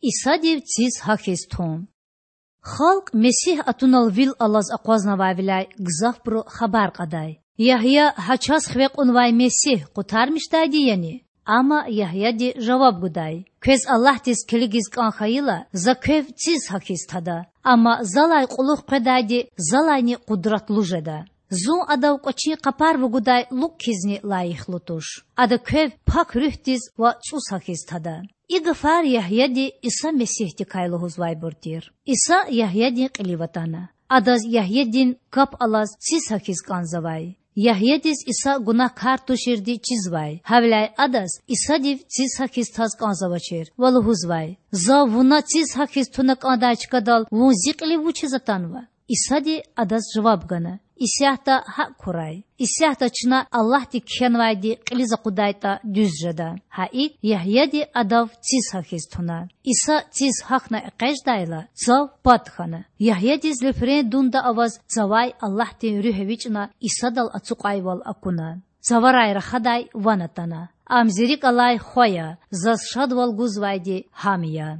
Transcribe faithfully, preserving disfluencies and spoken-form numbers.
Исадив циз гьахьиз тун. Халкь Месигь атунал вил алаз акъвазнавайвиляй гзафбуру хабар кьадай: Ягья гьа чаз хиве кьунвай Месигь къутармишдайди яни? Амма Ягьяди жаваб гудай: Квез Аллагьдиз килигиз кІан хьайила, за квев циз гьахьиз тада. Амма залай кьулухъ къведайди залайни къудратлу жеда. Зун адав кІвачин къапар вугудай лукІ хьизни лайихлу туш. Ада квев Пак Руьгьдиз ва цІус гьахьиз тада. И гафар Ягьяди Иса Месигьдикай лугьузвайбур тир. Иса Ягьядин кьилив атана. Адаз Ягьядин кап алаз циз гьахьиз кІанзавай. Ягьядиз Иса гунагькар туширди чизвай, гьавиляй Адаз Исадив циз гьахьиз таз кІанзавачир ва лугьузвай: Зав Вуна циз гьахьиз туна кІандай чкадал Вун Зи кьилив вучиз атанва? Исади адаз жаваб гана: Исятда гьакІ хьурай. Исятда чна Аллагьди кхьенвайди кьилиз акъудайтІа дуьз жеда. Гьа икІ Ягьяди адав циз гьахьиз туна. Иса циз гьахьна экъечІдайла, цав пад хьана. Ягьядиз луьфрен дунда аваз цавай Аллагьдин Руьгь эвичІна Исадал ацукьайвал акуна. Цаварай рахадай ван атана: Ам Зи рикІ алай Хва я, заз шадвал гузвайди Гьам я.